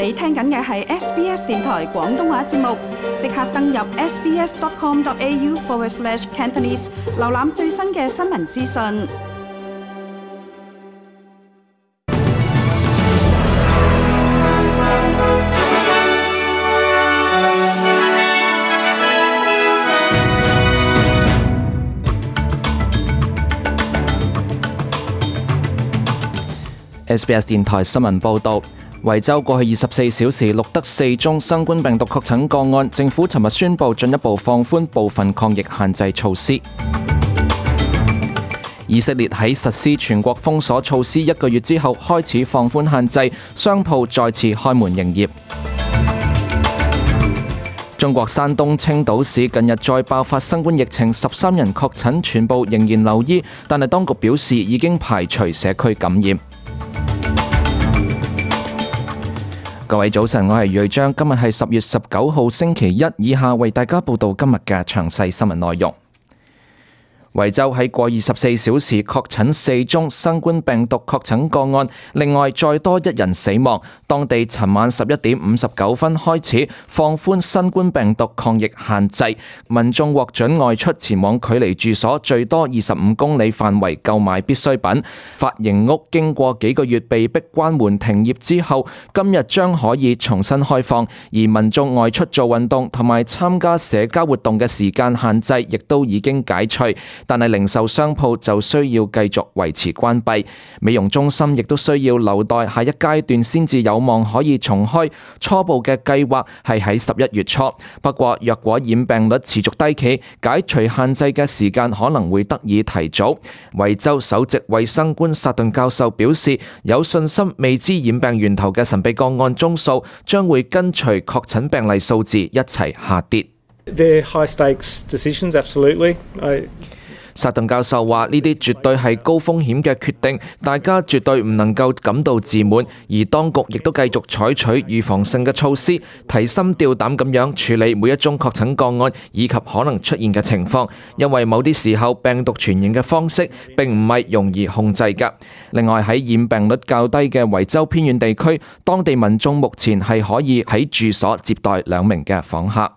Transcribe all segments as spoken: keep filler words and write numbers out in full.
你聽緊嘅係 S B S 電台廣東話節目，即刻登入 sbs.com.au forward slash Cantonese， 瀏覽最新嘅新聞資訊。S B S 電台新聞報導，維州過去二十四小時錄得四宗新冠病毒確診個案，政府尋日宣布進一步放寬部分抗疫限制措施。以色列喺實施全國封鎖措施一個月之後，開始放寬限制，商鋪再次開門營業。中國山東青島市近日再爆發新冠疫情，十三人確診，全部仍然留醫，但係當局表示已經排除社區感染。各位早晨，我係瑞章，今日係十月十九號星期一，以下為大家報道今日嘅詳細新聞內容。維州喺過二十四小時確診四宗新冠病毒確診個案，另外再多一人死亡。當地尋晚十一點五十九分開始放寬新冠病毒抗疫限制，民眾獲准外出前往距離住所最多二十五公里範圍購買必需品。髮型屋經過幾個月被迫關門停業之後，今日將可以重新開放，而民眾外出做運動同埋參加社交活動嘅時間限制亦都已經解除。但係零售商鋪就需要繼續維持關閉，美容中心亦都需要留待下一階段先至有望可以重開。初步嘅計劃係喺十一月初，不過若果染病率持續低企，解除限制嘅時間可能會得以提早。維州首席衛生官薩頓教授表示，有信心未知染病源頭嘅神秘個案宗數將會跟隨確診病例數字一齊下跌。They're high stakes decisions, absolutely. I... 薩頓教授話：呢啲絕對係高風險嘅決定，大家絕對唔能夠感到自滿，而當局亦都繼續採取預防性嘅措施，提心吊膽咁樣處理每一宗確診個案以及可能出現嘅情況，因為某啲時候病毒傳染嘅方式並唔係容易控制㗎。另外喺染病率較低嘅維州偏遠地區，當地民眾目前係可以喺住所接待兩名嘅訪客。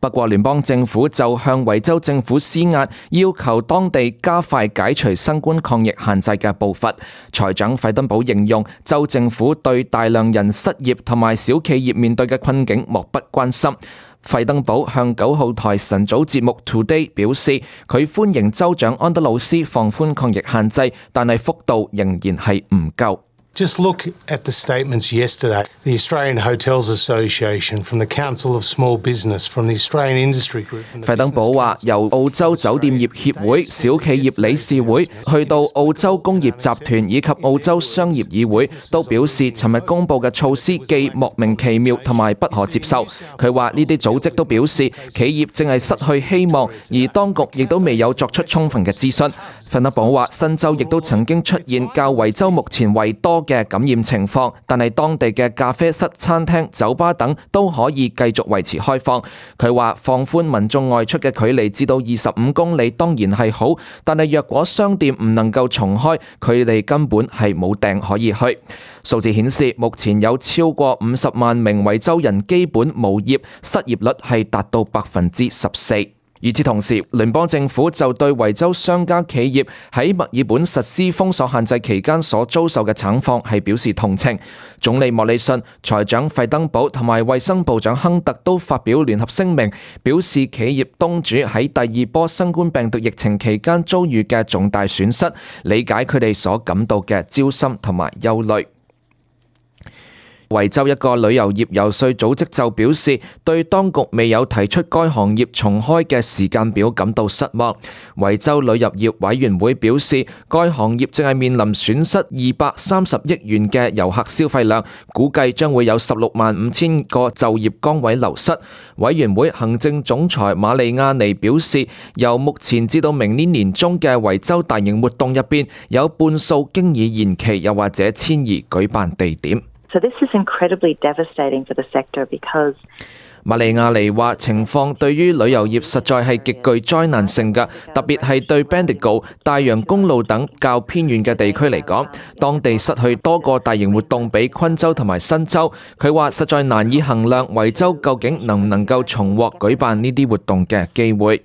不過聯邦政府就向維州政府施壓，要求當地加快解除新冠抗疫限制嘅步伐。財長費登堡形容州政府對大量人失業同埋小企業面對嘅困境漠不關心。費登堡向九號台晨早節目 Today 表示，佢歡迎州長安德魯斯放寬抗疫限制，但係幅度仍然係唔夠。Just look at the statements yesterday. The Australian Hotels Association, from the Council of Small Business, from the Australian Industry Group. 費登堡話，由澳洲酒店業協會、小企業理事會，去到澳洲工業集團以及澳洲商業議會，都表示尋日公佈嘅措施既莫名其妙同埋不可接受。佢話呢啲組織都表示企業正係失去希望，而當局亦都未有作出充分嘅諮詢。費登堡話，新州亦都曾經出現較維州目前為多嘅感染情況，但係當地嘅咖啡室、餐廳、酒吧等都可以繼續維持開放。佢話放寬民眾外出嘅距離至到二十五公里當然係好，但係若果商店唔能夠重開，佢哋根本係冇訂可以去。數字顯示，目前有超過五十萬名維州人基本無業，失業率係達到百分之十四。與此同時，聯邦政府就對維州商家企業喺墨爾本實施封鎖限制期間所遭受嘅慘況係表示同情。總理莫里遜、財長費登堡同埋衛生部長亨特都發表聯合聲明，表示企業東主喺第二波新冠病毒疫情期間遭遇嘅重大損失，理解佢哋所感到嘅焦心同埋憂慮。維州一個旅遊業遊說組織就表示，對當局未有提出該行業重開嘅時間表感到失望。維州旅遊業委員會表示，該行業正係面臨損失二百三十億元嘅遊客消費量，估計將會有十六萬五千個就業崗位流失。委員會行政總裁瑪利亞尼表示，由目前至到明年年中嘅維州大型活動入邊，有半數經已延期，又或者遷移舉辦地點。So this is incredibly devastating for the sector because 馬利亞尼話情況對於旅遊業實在係極具災難性嘅，特別係對 Bendigo、大洋公路等較偏遠嘅地區嚟講，當地失去多個大型活動俾昆州同埋新州。佢話實在難以衡量維州究竟能唔能夠重獲舉辦呢啲活動嘅機會。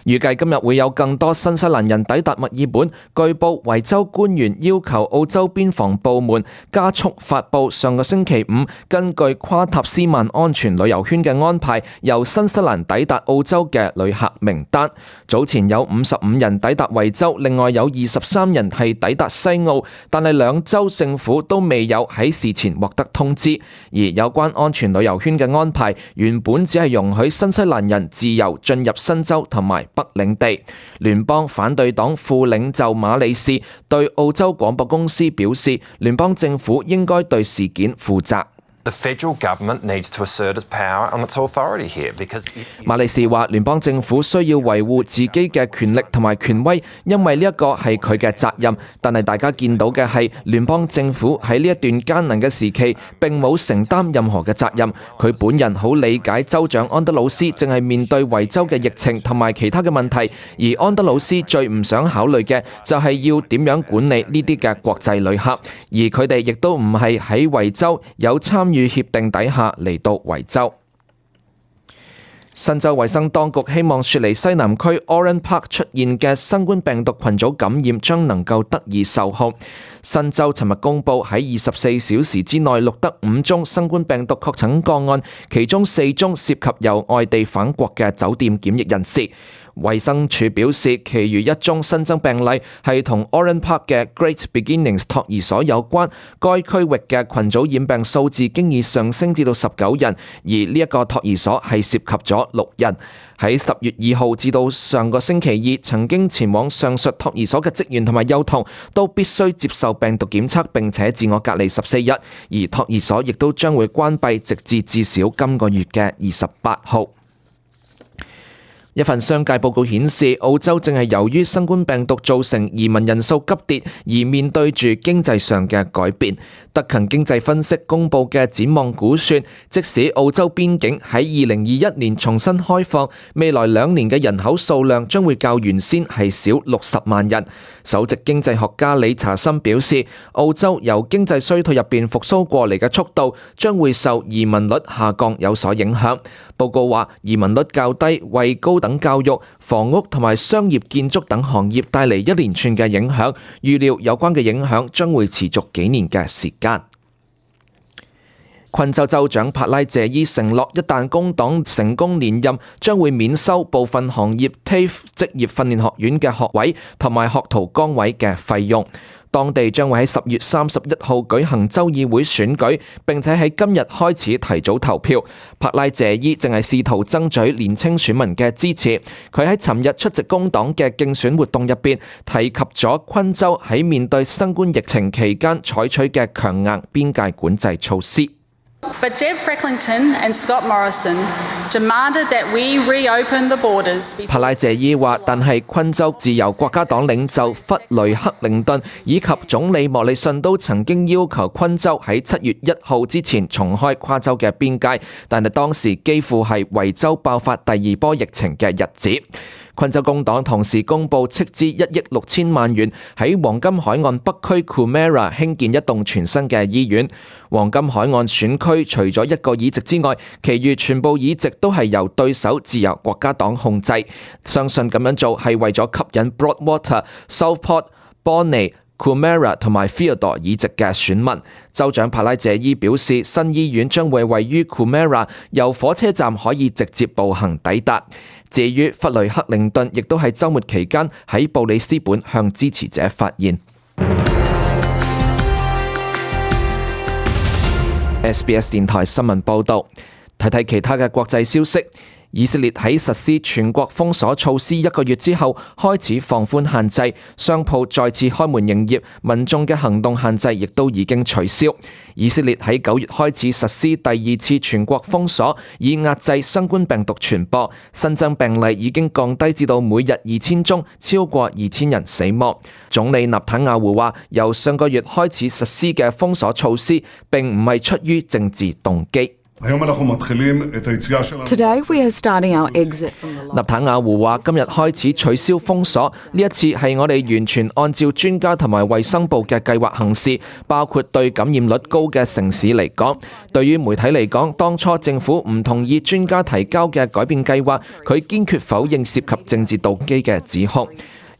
預計今日會有更多新西蘭人抵達墨爾本。據報，維州官員要求澳洲邊防部門加速發布上個星期五根據跨塔斯曼安全旅遊圈嘅安排，由新西蘭抵達澳洲嘅旅客名單。早前有五十五人抵達維州，另外有二十三人係抵達西澳，但係兩州政府都未有喺事前獲得通知。而有關安全旅遊圈嘅安排，原本只係容許新西蘭人自由進入新州同埋北領地。聯邦反對黨副領袖馬里士對澳洲廣播公司表示，聯邦政府應該對事件負責。The federal government needs to assert its power and its authority here because it is... 馬里士話聯邦政府需要維護自己嘅權力同埋權威，因為呢一個係佢嘅責任。但係大家見到嘅係聯邦政府喺呢一段艱難嘅時期並冇承擔任何嘅責任。佢本人好理解州長安德魯斯正係面對維州嘅疫情同埋其他嘅問題，而安德魯斯最唔想考慮嘅就係要點樣管理呢啲嘅國際旅客，而佢哋亦都唔係喺維州有參與與協定底下嚟到維州。新州衛生當局希望雪梨西南區 Oran Park 出現嘅新冠病毒群組感染將能夠得以受控。新州尋日公佈喺二十四小時之內錄得五宗新冠病毒確診個案，其中四宗涉及由外地返國嘅酒店檢疫人士。衛生署表示，其餘一宗新增病例係同 Oran Park 嘅 Great Beginnings 托兒所有關，該區域嘅群組染病數字經已上升至到十九人，而呢一個托兒所係涉及咗六人。喺十月二號至到上個星期二，曾經前往上述托兒所嘅職員同埋幼童都必須接受病毒檢測並且自我隔離十四日，而托兒所亦都將會關閉直至至少今個月嘅二十八號。一份商界報告顯示，澳洲正係由於新冠病毒造成移民人數急跌，而面對住經濟上嘅改變。德勤經濟分析公佈嘅展望估算，即使澳洲邊境喺二零二一年重新開放，未來兩年嘅人口數量將會較原先係少六十萬人。首席經濟學家理查森表示，澳洲由經濟衰退入邊復甦過嚟嘅速度，將會受移民率下降有所影響。報告話，移民率較低，為高等教育、房屋同埋商業建築等行業帶嚟一連串嘅影響，預料有關嘅影響將會持續幾年嘅時間。昆州州長帕拉謝伊承諾，一旦工黨成功連任，將會免收部分行業 T A F E 職業訓練學院嘅學位同埋學徒崗位嘅費用。當地將會喺十月三十一號舉行州議會選舉，並且喺今日開始提早投票。帕拉謝伊正係試圖爭取年輕選民嘅支持。佢喺尋日出席工黨嘅競選活動入邊，提及咗昆州喺面對新冠疫情期間採取嘅強硬邊界管制措施。But Deb Frecklington and Scott Morrison demanded that we reopen the borders. 帕拉謝伊話，但係昆州自由國家黨領袖弗雷克靈頓以及總理莫里遜都曾經要求昆州喺七月一號之前重開跨州嘅邊界，但係當時幾乎係維州爆發第二波疫情嘅日子。昆州工黨同時公佈斥資一億六千萬元喺黃金海岸北區 Coomera 興建一棟全新嘅醫院。黃金海岸選區除咗一個議席之外，其餘全部議席都係由對手自由國家黨控制。相信咁樣做係為咗吸引 Broadwater、Southport、Bonny、Coomera 同埋 Theodore 議席嘅選民。州長帕拉謝伊表示，新醫院將會位於 Coomera， 由火車站可以直接步行抵達。至於弗雷克靈頓，亦都喺週末期間喺布里斯本向支持者發言。S B S 電台新聞報導，睇睇其他嘅國際消息。以色列喺實施全國封鎖措施一個月之後，開始放寬限制，商鋪再次開門營業，民眾嘅行動限制亦都已經取消。以色列喺九月開始實施第二次全國封鎖，以壓制新冠病毒傳播。新增病例已經降低至到每日二千宗，超過二千人死亡。總理納坦雅胡話，由上個月開始實施嘅封鎖措施並唔係出於政治動機。Today we are starting our exit from the 納坦雅胡話：今日開始取消封鎖，呢一次係我哋完全按照專家同埋衛生部嘅計劃行事，包括對感染率高嘅城市嚟講。對於媒體嚟講，當初政府唔同意專家提交嘅改變計劃，佢堅決否認涉及政治動機嘅指控。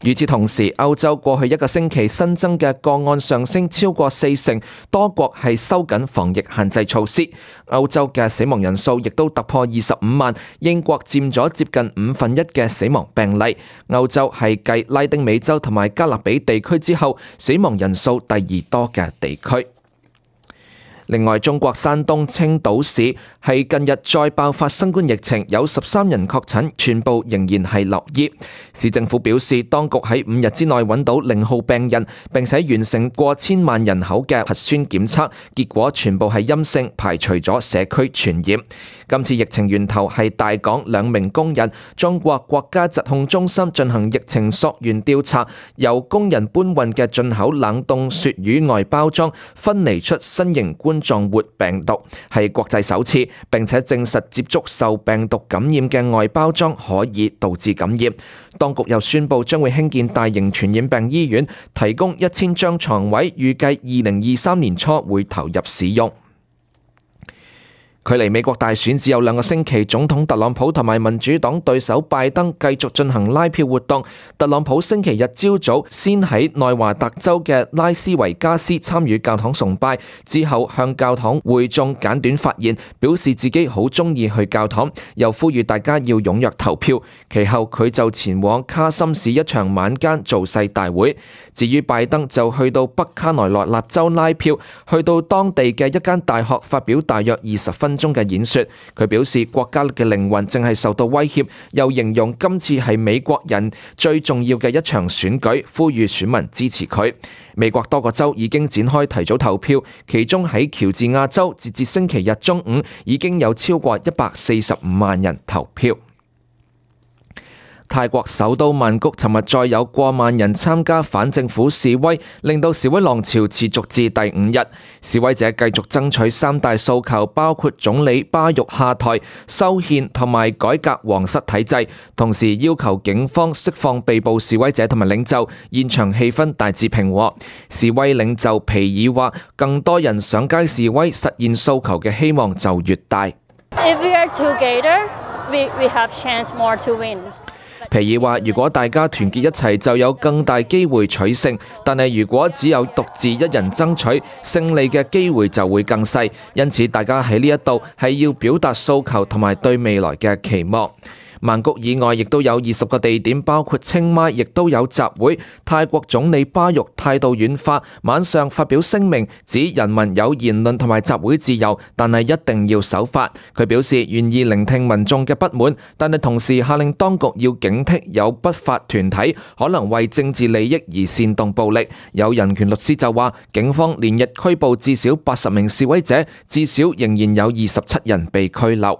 與此同時，歐洲過去一個星期新增嘅個案上升超過四成，多國係收緊防疫限制措施。歐洲嘅死亡人數亦都突破二十五萬，英國佔咗接近五分一嘅死亡病例。歐洲係繼拉丁美洲同埋加勒比地區之後，死亡人數第二多嘅地區。另外，中國山東青島市係近日再爆發新冠疫情，有十三人確診，全部仍然係留醫。市政府表示，當局喺五日之內揾到零號病人，並且完成過千萬人口嘅核酸檢測，結果全部係陰性，排除咗社區傳染。今次疫情源頭係大港兩名工人，中國國家疾控中心進行疫情溯源調查，由工人搬運嘅進口冷凍鱈魚外包裝分離出新型冠狀活病毒，係國際首次，並且證實接觸受病毒感染嘅外包裝可以導致感染。當局又宣布將會興建大型傳染病醫院，提供一千張床位，預計二零二三年初會投入使用。距離美國大選只有兩個星期，總統特朗普同埋民主黨對手拜登繼續進行拉票活動。特朗普星期日朝早先喺內華達州嘅拉斯維加斯參與教堂崇拜，之後向教堂會眾簡短發言，表示自己好鍾意去教堂，又呼籲大家要踴躍投票。其後佢就前往卡森市一場晚間造勢大會。至於拜登就去到北卡羅來納州拉票，去到當地嘅一間大學發表大約二十分鐘嘅演說。佢表示國家嘅靈魂正係受到威脅，又形容今次係美國人最重要嘅一場選舉，呼籲選民支持佢。美國多個州已經展開提早投票，其中喺喬治亞州，截至星期日中午已經有超過一百四十五萬人投票。泰國首都曼谷尋日再有過萬人參加反政府示威，令到示威浪潮持續至第五日。示威者繼續爭取三大訴求，包括總理巴育下台、修憲同埋改革皇室體制，同時要求警方釋放被捕示威者同埋領袖。現場氣氛大致平和。示威領袖皮爾話：更多人上街示威，實現訴求嘅希望就越大。If we are together, we we have chance more to win. 皮爾話：如果大家團結一齊，就有更大機會取勝。但係如果只有獨自一人爭取，勝利嘅機會就會更細。因此，大家喺呢一度係要表達訴求同埋對未來嘅期望。曼谷以外亦都有二十個地點，包括清邁，亦都有集會。泰國總理巴育態度軟化，晚上發表聲明，指人民有言論同埋集會自由，但係一定要守法。佢表示願意聆聽民眾嘅不滿，但係同時下令當局要警惕有不法團體可能為政治利益而煽動暴力。有人權律師就話，警方連日拘捕至少八十名示威者，至少仍然有二十七人被拘留。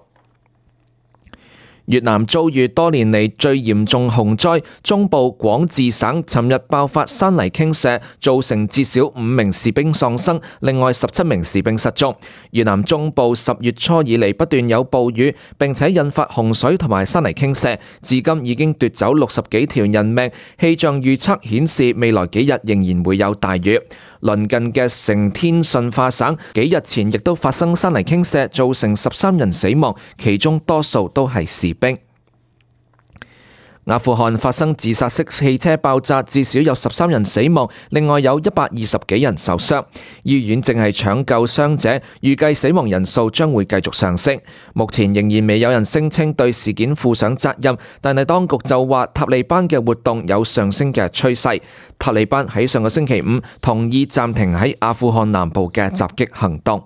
越南遭遇多年嚟最嚴重洪災，中部廣治省尋日爆發山泥傾瀉，造成至少五名士兵喪生，另外十七名士兵失蹤。越南中部十月初以嚟不斷有暴雨，並且引發洪水同埋山泥傾瀉，至今已經奪走六十幾條人命。氣象預測顯示未來幾日仍然會有大雨。鄰近嘅成天順化省幾日前亦都發生山泥傾瀉，造成十三人死亡，其中多數都係士兵。阿富汗發生自殺式汽車爆炸，至少有十三人死亡，另外有一百二十幾人受傷。醫院正係搶救傷者，預計死亡人數將會繼續上升。目前仍然未有人聲稱對事件負上責任，但係當局就話塔利班嘅活動有上升嘅趨勢。塔利班喺上個星期五同意暫停喺阿富汗南部嘅襲擊行動。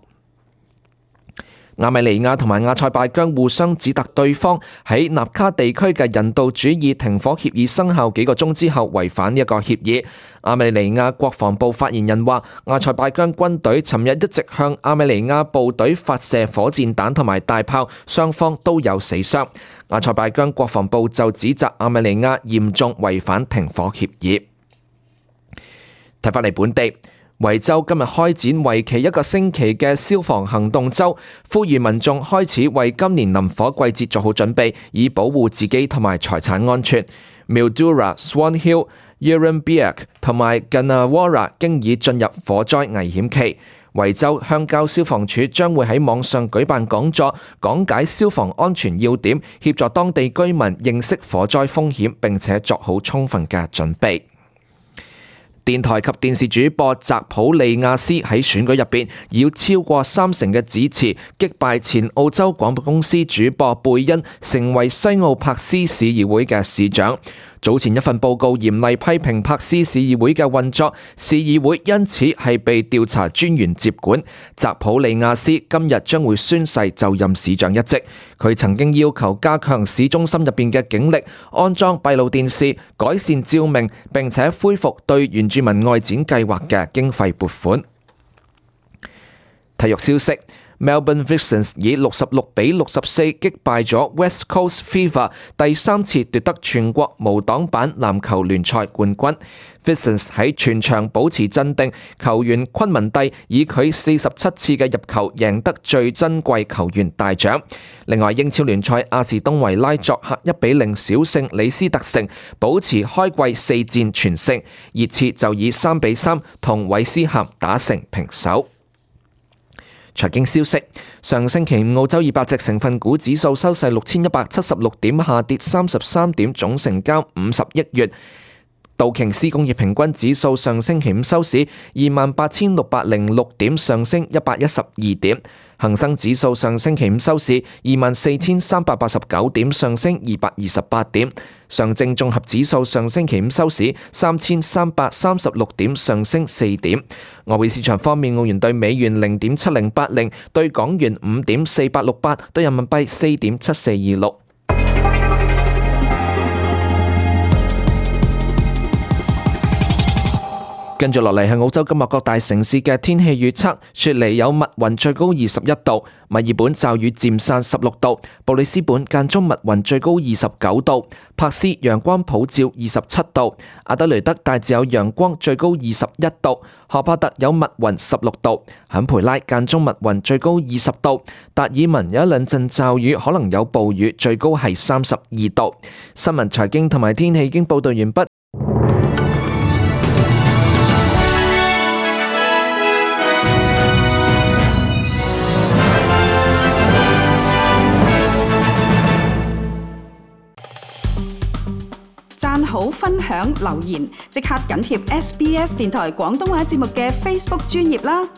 亞美尼亞同埋阿塞拜疆互相指責對方喺納卡地區嘅人道主義停火協議生效幾個鐘之後違反一個協議。亞美尼亞國防部發言人話，阿塞拜疆軍隊尋日一直向亞美尼亞部隊發射火箭彈同埋大炮，雙方都有死傷。阿塞拜疆國防部就指責亞美尼亞嚴重違反停火協議。睇返嚟本地。維州今日開展為期一個星期嘅消防行動週，呼籲民眾開始為今年林火季節做好準備，以保護自己同埋財產安全。Mildura、Swan Hill、Yerrinbiak 同埋 Gunnawara 經已進入火災危險期。維州鄉郊消防處將會喺網上舉辦講座，講解消防安全要點，協助當地居民認識火災風險，並且作好充分嘅準備。電台及電視主播澤普利亞斯喺選舉入邊以超過三成嘅支持擊敗前澳洲廣播公司主播貝恩，成為西澳柏斯市議會嘅市長。早前一份報告嚴厲批評柏斯市議會嘅運作，市議會因此係被調查專員接管。澤普利亞斯今日將會宣誓就任市長一職。佢曾經要求加強市中心入邊嘅警力，安裝閉路電視，改善照明，並且恢復對原住民外展計劃嘅經費撥款。體育消息，Melbourne Vixens 以六十六比六十四擊敗咗 West Coast Fever， 第三次奪得全國無擋板籃球聯賽冠軍。Vixens 喺全場保持鎮定，球員昆文蒂以佢四十七次嘅入球贏得最珍貴球員大獎。另外，英超聯賽阿士東維拉作客一比零小勝李斯特城，保持開季四戰全勝。熱刺就以三比三同韋斯咸打成平手。財經消息，上星期五澳洲二百隻成分股指數收市六千一百七十六點，下跌三十三點，總成交五十億元。道瓊斯工業平均指數上星期五收市二萬八千六百零六點，上升一百一十二點。恒生指數上星期五收市二萬四千三百八十九點，上升二百二十八點。上證綜合指數上星期五收市三千三百三十六點，上升四點。外匯市場方面，澳元兌美元零點七零八零，兌港元五點四八六八，兌人民幣四點七四二六。跟住落嚟係澳洲今日各大城市嘅天氣預測。雪梨有密雲，最高二十一度；墨爾本驟雨漸散，十六度；布里斯本間中密雲，最高二十九度；柏斯陽光普照，二十七度；阿德雷德大致有陽光，最高二十一度；荷伯特有密雲，十六度；坎培拉間中密雲，最高二十度；達爾文有一兩陣驟雨，可能有暴雨，最高係三十二度。新聞、財經同埋天氣已經報道完畢。讚好、分享、留言，即刻緊貼 S B S 電台廣東話節目嘅 Facebook 專頁啦！